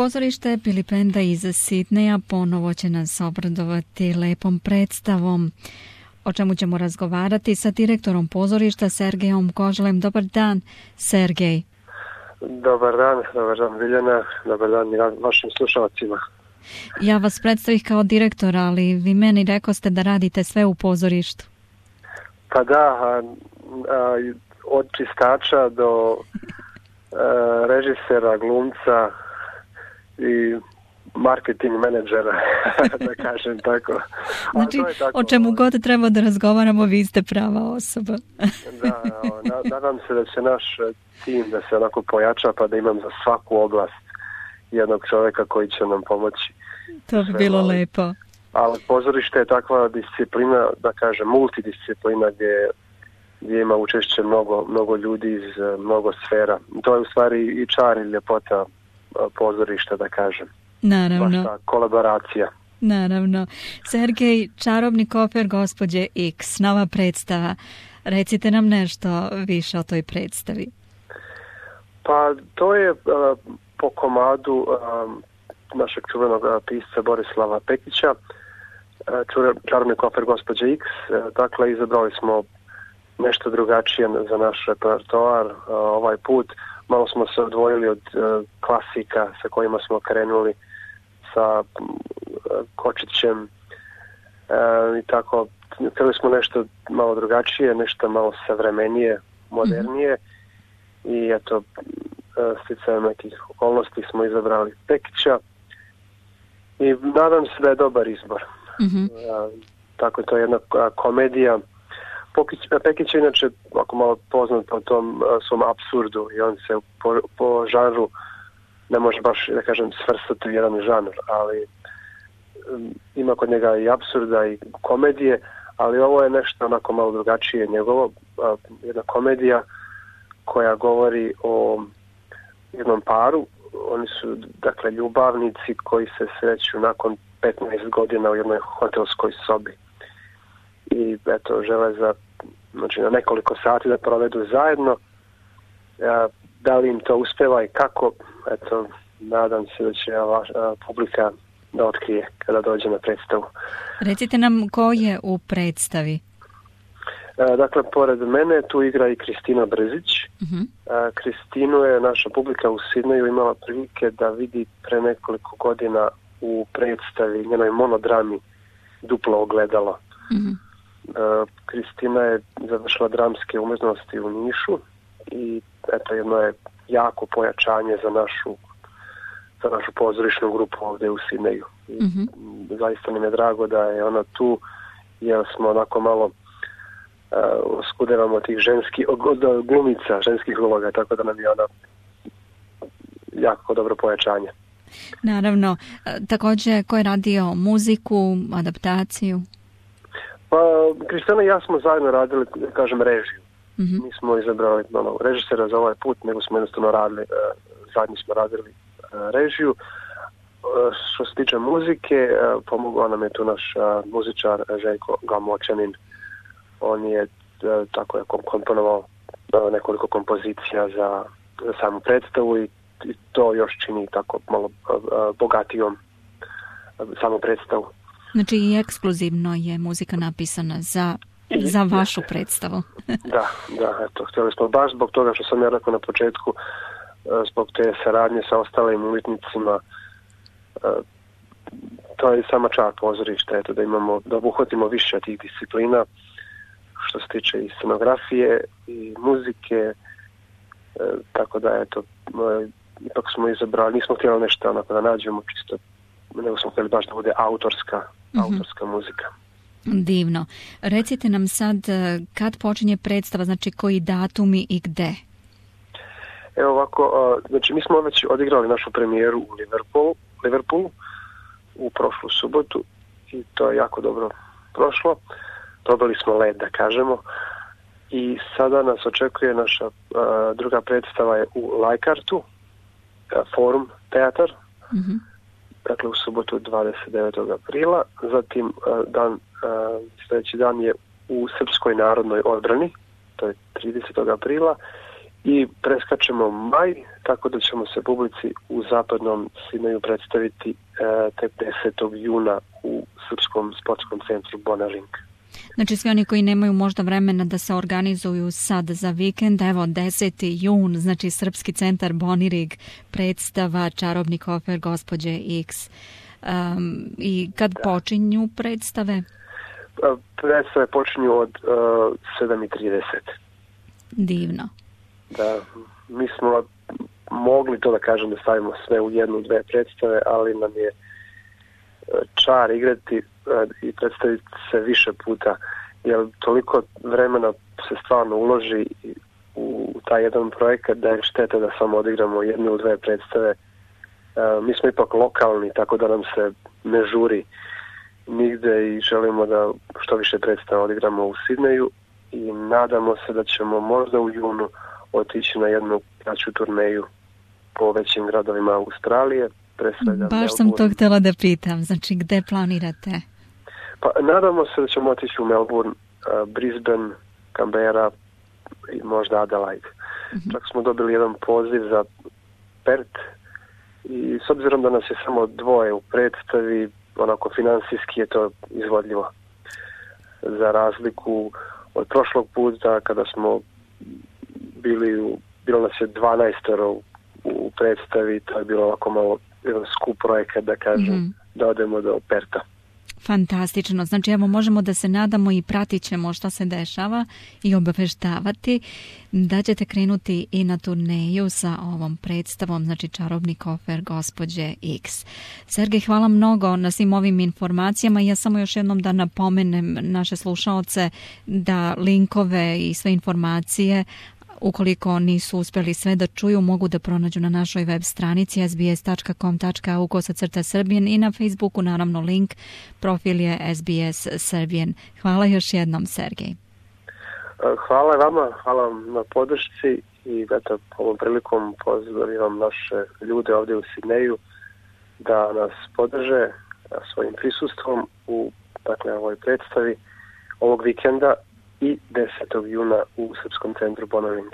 Pozorište Pilipenda iz Sidneja ponovo će nas obradovati lepom predstavom, o čemu ćemo razgovarati sa direktorom pozorišta Sergejom Koželem. Dobar dan, Sergej. Dobar dan Biljana, dobar dan i vašim slušalcima. Ja vas predstavih kao direktor, ali vi meni rekoste da radite sve u pozorištu. Pa da, od čistača do režisera, glumca i marketing menadžera, da kažem tako. Znači, o čemu god treba da razgovaramo, vi ste prava osoba. Da, nadam se da će naš tim da se onako pojača, pa da imam za svaku oblast jednog čovjeka koji će nam pomoći. To bi bilo lepo. Ali pozorište je takva disciplina, da kažem, multidisciplina gdje ima učešće mnogo ljudi iz mnogo sfera. To je u stvari i čar i ljepota pozorišta, da kažem. Naravno. Baš ta kolaboracija. Naravno. Sergej, čarobni kofer gospođe X, nova predstava. Recite nam nešto više o toj predstavi. Pa to je po komadu našeg čuvenog pisca Borislava Pekića, čarobni kofer gospođe X. Dakle, izabrali smo nešto drugačije za naš repertoar ovaj put. Malo smo se odvojili od klasika sa kojima smo krenuli, sa Kočićem i tako. Htjeli smo nešto malo drugačije, nešto malo savremenije, modernije i eto, sticajem nekih okolnosti smo izabrali Pekića i nadam se da je dobar izbor. Tako je to jedna komedija. Pekić je inače ako malo poznat po tom svom apsurdu i on se po žanru ne može baš, da kažem, svrstati u jedan žanr, ali ima kod njega i apsurda i komedije, ali ovo je nešto onako malo drugačije njegovo, jedna komedija koja govori o jednom paru. Oni su, dakle, ljubavnici koji se sreću nakon 15 godina u jednoj hotelskoj sobi i eto, žele znači, na nekoliko sati da provedu zajedno. Da li im to uspeva i kako, eto, nadam se da će publika da otkrije kada dođe na predstavu. Recite nam ko je u predstavi? Dakle, pored mene tu igra i Kristina Brzić. Kristinu je naša publika u Sidneju imala prilike da vidi pre nekoliko godina u predstavi, njenoj monodrami Duplo ogledalo. Kristina je završila dramske umjetnosti u Nišu i eto, jedno je jako pojačanje za našu pozorišnu grupu ovdje u Sidneju. Zaista nam je drago da je ona tu, jer smo onako malo oskudevamo tih od glumica, ženskih uloga, tako da nam je ona jako dobro pojačanje. Naravno. Također, ko je radio muziku, adaptaciju? Pa, Kristina i ja smo zajedno radili, da kažem, režiju. Nismo izabrali režisera za ovaj put, nego smo jednostavno radili, zajedno smo radili režiju. Što se tiče muzike, pomogao nam je tu naš muzičar Željko Gamočanin. On je tako je komponovao nekoliko kompozicija za samu predstavu i to još čini tako malo bogatijom samu predstavu. Znači i ekskluzivno je muzika napisana za vašu predstavu. Da, eto, htjeli smo baš zbog toga što sam ja rekao na početku, zbog te saradnje sa ostalim umjetnicima, to je sama čar pozorišta, eto, da obuhvatimo više tih disciplina, što se tiče i scenografije i muzike, tako da eto, ipak smo izabrali, nismo htjeli nešto onako da nađemo čisto, nego smo htjeli baš da bude autorska muzika. Divno. Recite nam sad kad počinje predstava, znači koji datumi i gde? Evo ovako, znači mi smo već odigrali našu premijeru u Liverpoolu u prošlu subotu i to je jako dobro prošlo. Dobili smo led, da kažemo, i sada nas očekuje naša druga predstava je u Leikartu, Forum teatar, dakle u subotu 29. aprila, zatim sljedeći dan je u Srpskoj narodnoj odbrani, to je 30. aprila, i preskačemo maj, tako da ćemo se publici u zapadnom Sidneju predstaviti tek 10. juna u Srpskom sportskom centru Bonaring. Znači svi oni koji nemaju možda vremena da se organizuju sad za vikend, evo 10. jun, znači Srpski centar Bonirig, predstava Čarobni kofer gospođe X. I kad počinju predstave? Predstave počinju od 7:30. Divno. Da, mi smo mogli to da kažem da stavimo sve u 1-2 predstave, ali nam je čar igrati i predstaviti se više puta, jer toliko vremena se stvarno uloži u taj jedan projekat da je šteta da samo odigramo 1-2 predstave. Mi smo ipak lokalni, tako da nam se ne žuri nigde i želimo da što više predstava odigramo u Sidneju i nadamo se da ćemo možda u junu otići na jednu kraću turneju po većim gradovima Australije. Baš sam to htjela da pitam, znači gde planirate? Pa nadamo se da ćemo otići u Melbourne, Brisbane, Canberra i možda Adelaide. Čak smo dobili jedan poziv za Perth i s obzirom da nas je samo 2 u predstavi, onako finansijski je to izvodljivo. Za razliku od prošlog puta kada smo bilo nas je 12 u predstavi, to je bilo ovako malo jedan skup projekat, da kažem, da odemo do Perta. Fantastično. Znači, evo, možemo da se nadamo i pratit ćemo šta se dešava i obaveštavati da ćete krenuti i na turneju sa ovom predstavom, znači Čarobni kofer gospođe X. Sergej, hvala mnogo na svim ovim informacijama. Ja samo još jednom da napomenem naše slušaoce da linkove i sve informacije, ukoliko nisu uspjeli sve da čuju, mogu da pronađu na našoj web stranici sbs.com.au/Srbijen i na Facebooku, naravno link, profil je SBS Srbijen. Hvala još jednom, Sergej. Hvala vama, hvala vam na podršci i eto, ovom prilikom pozivam naše ljude ovdje u Sidneju da nas podrže svojim prisustvom u ovoj predstavi ovog vikenda i 10. juna u Srpskom centru Bonaring.